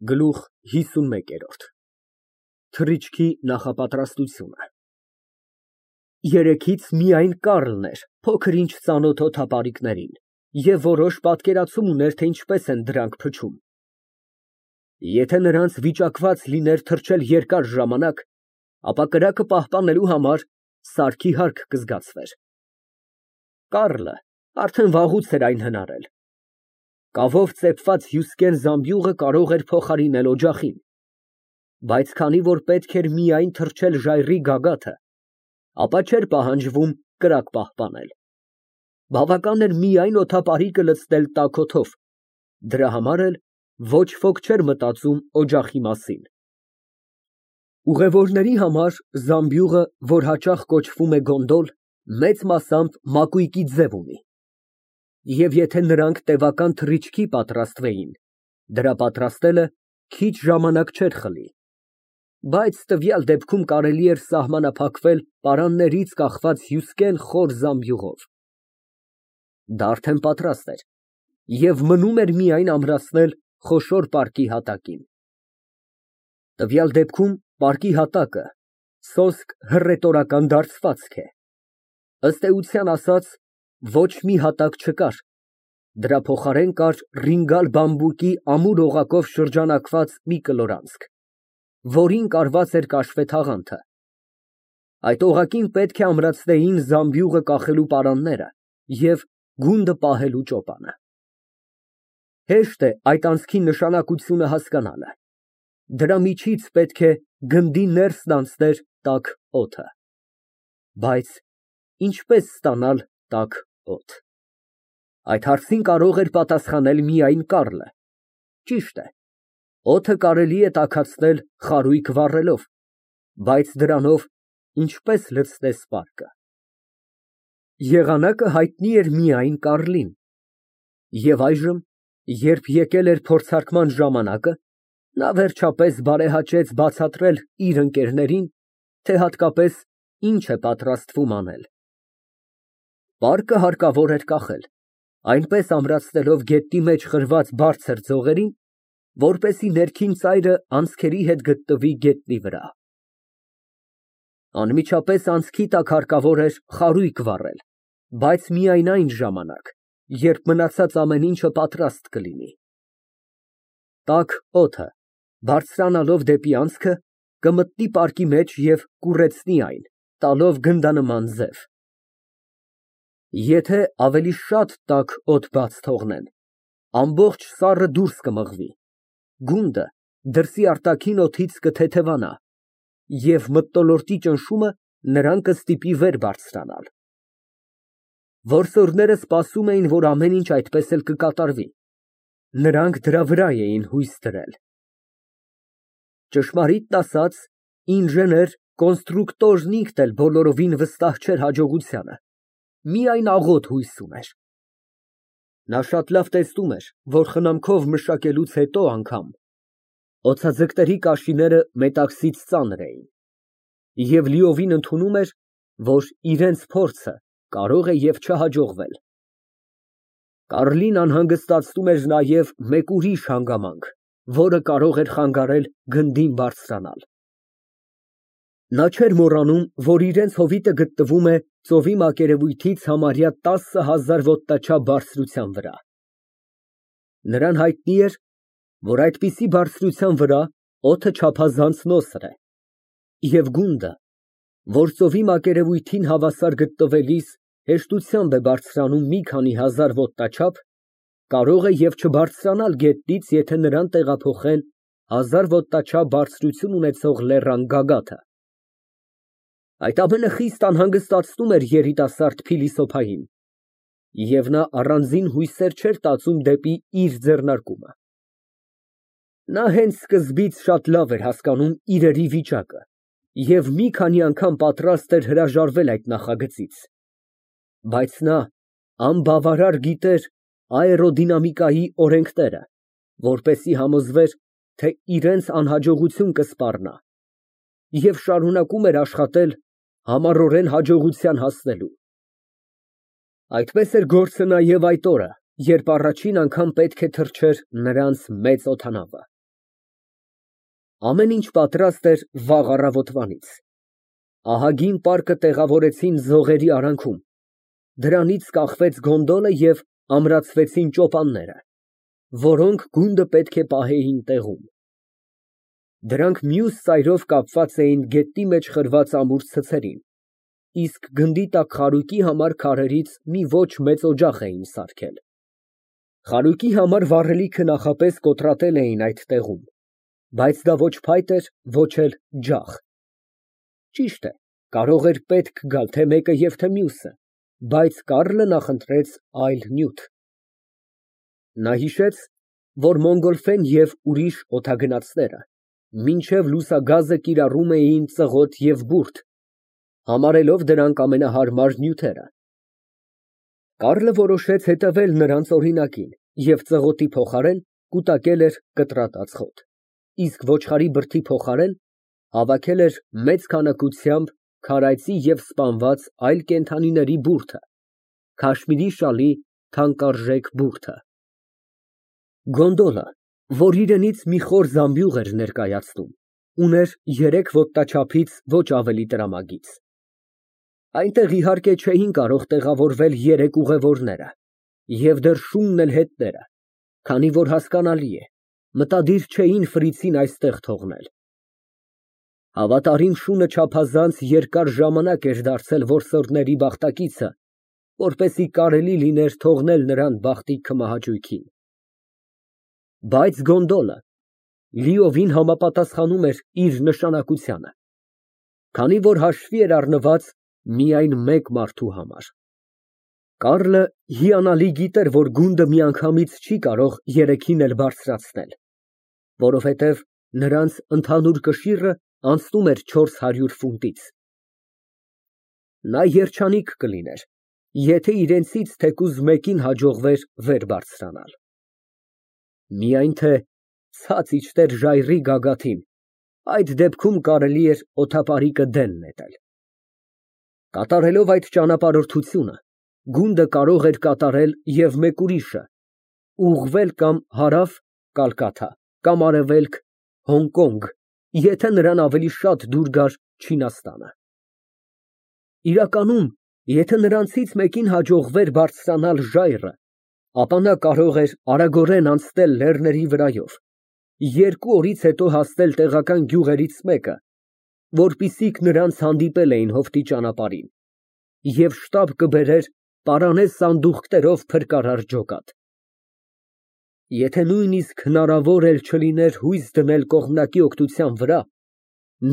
Գլուխ 51 Թռիչքի նախապատրաստությունը Երեքից միայն Կառլն էր փոքր-ինչ ծանոթ օդապարիկներին և որոշ պատկերացում ուներ, թե ինչպես են դրանք փչում։ Եթե նրանց վիճակված լիներ թռչել երկար ժամանակ, ապա կրակը պահպանելու համար սարքի հարկ կզգացվեր։ Կառլը արդեն վաղուց էր այն հնարել։ Կավով ծեփված հյուսկեն զամբյուղը կարող էր փոխարինել օջախին, բայց քանի որ պետք էր միայն թռչել ժայռի գագաթը, ապա չէր պահանջվում կրակ պահպանել։ Բավական էր միայն օդապարիկը լցնել տաք օդով, դրա համար էլ ոչ ոք չէր մտածում օջախի մասին։ Ուղևորների համար զամբյուղը, որ հաճախ կոչվում է գոնդոլ, մեծ մասամբ մակույկի ձև ունի, և եթե նրանք տևական թռիչքի պատրաստվեին, դրա պատրաստելը քիչ ժամանակ չէր խլի, բայց տվյալ դեպքում կարելի էր սահմանափակվել պարաններից կախված հյուսկեն խոր զամբյուղով։ Դա արդեն պատրաստ էր, և մնում էր միայն ամրացնել խոշոր պարկի հատակին։ Տվյալ դեպքում պարկի հատակը սոսկ հռետորական դարձվածք է։ Ըստ էության ասած, ոչ մի հատակ չկար, դրա փոխարեն կար ռինգալ բամբուկի ամուր օղակով շրջանակված մի կլորանցք, որին կարված էր կաշվե թաղանթը։ Այդ օղակին պետք է ամրացնեին զամբյուղը կախելու պարանները և գունդը պահելու ճոպանը։ Հեշտ է այդ անցքի նշանակությունը հասկանալը։ Դրա միջից պետք է գնդի ներսն անցներ տաք օդը։ Բայց ինչպե՞ս ստանալ տաք օդ։ Այդ հարցին կարող էր պատասխանել միայն Կառլը։ Ճիշտ է, օդը կարելի է տաքացնել խարույկ վառելով, բայց դրանով ինչպե՞ս լցնես պարկը։ Եղանակը հայտնի էր միայն Կառլին, և այժմ, երբ եկել էր փորձարկման ժամանակը, նա վերջապես բարեհաճեց բացատրել իր ընկերներին, թե հատկապես ինչ է պատրաստվում անել։ Պարկը հարկավոր էր կախել, այնպես ամրացնելով գետնի մեջ խրված բարձր ձողերին, որպեսզի ներքին ծայրը անցքերի հետ գտնվի գետնի վրա։ Անմիջապես անցքի տակ հարկավոր էր խարույկ վառել, բայց միայն այն ժամանակ, երբ մնացած ամեն ինչը պատրաստ կլինի։ Տաք օդը, բարձրանալով դեպի անցքը, կմտնի պարկի մեջ և կուռեցնի այն, տալով գնդանման ձև։ Եթե ավելի շատ տաք օդ բաց թողնեն, ամբողջ սառը դուրս կմղվի, գունդը դրսի արտաքին օդից կթեթևանա, և մթնոլորտի ճնշումը նրան կստիպի վեր բարձրանալ։ Որսորդները սպասում էին, որ ամեն ինչ այդպես էլ կկատարվի։ Նրանք դրա վրա էին հույս դրել։ Ճշմարիտն ասած, ինժեներ֊կոնստրուկտորն ինքն էլ բոլորովին վստահ չէր հաջողությանը, միայն աղոտ հույս ուներ։ Նա շատ լավ տեսնում էր, որ խնամքով մշակելուց հետո անգամ օձաձկների կաշիները մետաքսից ծանր էին, և լիովին ընդունում էր, որ իրենց փորձը կարող է և չհաջողվել։ Կառլին անհանգստացնում էր նաև մեկ ուրիշ հանգամանք, որը կարող էր խանգարել գնդին բարձրանալ։ Նա չէր մոռանում, որ իրենց հովիտը գտնվում է ծովի մակերևույթից համարյա 10,000 ոտնաչափ բարձրության վրա։ Նրան հայտնի էր, որ այդպիսի բարձրության վրա օդը չափազանց նոսր է, և գունդը, որ ծովի մակերևույթին հավասար գտնվելիս հեշտությամբ է բարձրանում մի քանի հազար ոտնաչափ, կարող է և չբարձրանալ գետնից, եթե նրան տեղափոխեն 1000 ոտնաչափ բարձրություն ունեցող լեռան գագաթը։ Այդ ամենը խիստ անհանգստացնում էր երիտասարդ փիլիսոփային, և նա առանձին հույսեր չէր տածում դեպի իր ձեռնարկումը։ Նա հենց սկզբից շատ լավ էր հասկանում իրերի վիճակը և մի քանի անգամ պատրաստ էր հրաժարվել այդ նախագծից, բայց նա անբավարար գիտեր աերոդինամիկայի օրենքները, որպեսզի համոզվեր, թե իրենց անհաջողություն կսպառնա, և շարունակում էր աշխատել համառորեն հաջողության հասնելու։ Այդպես էր գործը նաև այդ օրը, երբ առաջին անգամ պետք է թռչեր նրանց մեծ օդանավը։ Ամեն ինչ պատրաստ էր վաղ առավոտվանից։ Ահագին պարկը տեղավորեցին ձողերի արանքում, դրանից կախվեց գոնդոլը և ամրացվեցին ճոպանները, որոնք գունդը պետք է պահեին տեղում։ Դրանք մյուս ծայրով կապված էին գետնի մեջ խրված ամուր ցցերին, իսկ գնդի տակ խարույկի համար քարերից մի ոչ մեծ օջախ էին սարքել։ Խարույկի համար վառելիքը նախապես կոտրատել էին այդ տեղում, բայց դա ոչ փայտ էր, ոչ էլ ջախ։ Ճիշտ է, կարող էր պետք գալ թե մեկը և թե մյուսը, բայց Կառլը նախընտրեց այլ նյութ։ Նա հիշեց, որ Մոնգոլֆեն և ուրիշ օդագնացները մինչև լուսագազը կիրառում էին ծղոտ և բուրդ, համարելով դրանք ամենահարմար նյութերը։ Կառլը որոշեց հետևել նրանց օրինակին և ծղոտի փոխարեն կուտակել էր կտրատած խոտ, իսկ ոչխարի բրդի փոխարեն հավաքել էր մեծ քանակությամբ քարայծի և սպանված այլ կենդանիների բուրդը, քաշմիրի շալի թանկարժեք բուրդը։ Գոնդոլը, որ իրենից մի խոր զամբյուղ էր ներկայացնում, ուներ 3 ոտնաչափից ոչ ավելի տրամագիծ։ Այնտեղ, իհարկե, չէին կարող տեղավորվել 3 ուղևորները և դեռ շունն էլ հետները, քանի որ, հասկանալի է, մտադիր չէին ֆրիցին այստեղ թողնել։ Հավատարիմ շունը չափազանց երկար ժամանակ էր դարձել որսորդների բախտակիցը, որպեսզի կարելի լիներ թողնել նրան բախտի քմահաճույքին։ Բայց գոնդոլը լիովին համապատասխանում էր իր նշանակությանը, քանի որ հաշվի էր առնված միայն մեկ մարդու համար։ Կառլը հիանալի գիտեր, որ գունդը միանգամից չի կարող երեքին էլ բարձրացնել, որովհետև նրանց ընդհանուր կշիռը անցնում էր 400 ֆունտից։ Նա երջանիկ կլիներ, եթե իրենցից թեկուզ մեկին հաջողվեր վեր բարձրանալ։ Միայն թե ցած իջներ ժայռի գագաթին, այդ դեպքում կարելի էր օդապարիկը դեն նետել։ Կատարելով այդ ճանապարհորդությունը, գունդը կարող էր կատարել և մեկ ուրիշը, ուղղվել կամ հարավ Կալկաթա, կամ արևելք Հոնկոնգ, եթե նրան ավելի շատ դուր գար Չինաստանը։ Իրականում, եթե նրանցից մեկին հաջողվեր բարձրանալ ժայռը, ապա նա կարող էր արագորեն անցնել լեռների վրայով, 2 օրից հետո հասնել տեղական գյուղերից մեկը, որպիսիք նրանց հանդիպել էին հովտի ճանապարհին, և շտապ կբերեր պարանե սանդուղքներով փրկարար ջոկատ։ Եթե նույնիսկ հնարավոր էլ չլիներ հույս դնել կողմնակի օգնության վրա,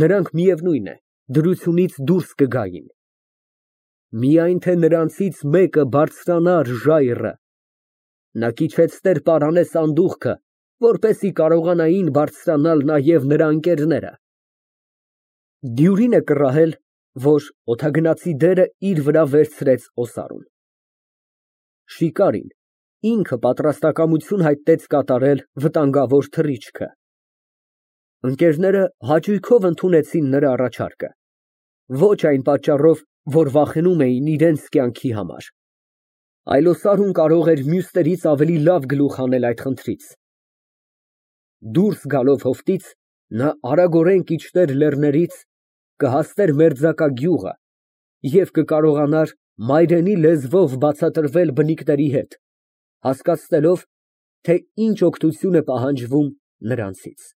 նրանք, միևնույն է, դրությունից դուրս կգային։ Միայն թե նրանցից մեկը բարձրանար ժայռը, նա կիջեցներ պարանե սանդուղքը, որպեսզի կարողանային բարձրանալ նաև նրա ընկերները։ Դյուրին է կռահել, որ օդագնացի դերը իր վրա վերցրեց օսարուն։ Շիկարին ինքը պատրաստակամություն հայտնեց կատարել վտանգավոր թռիչքը։ Ընկերները հաճույքով ընդունեցին նրա առաջարկը, ոչ այն պատճառով, որ վախենում էին իրենց կյանքի համար, այլ օսարուն կարող էր մյուսներից ավելի լավ գլուխ հանել այդ խնդրից։ Դուրս գալով հովտից, նա արագորեն կիջներ լեռներից, կհասներ մերձակա գյուղը և կկարողանար մայրենի լեզվով բացատրվել բնիկների հետ, հասկացնելով, թե ինչ օգնություն է պահանջվում նրանցից։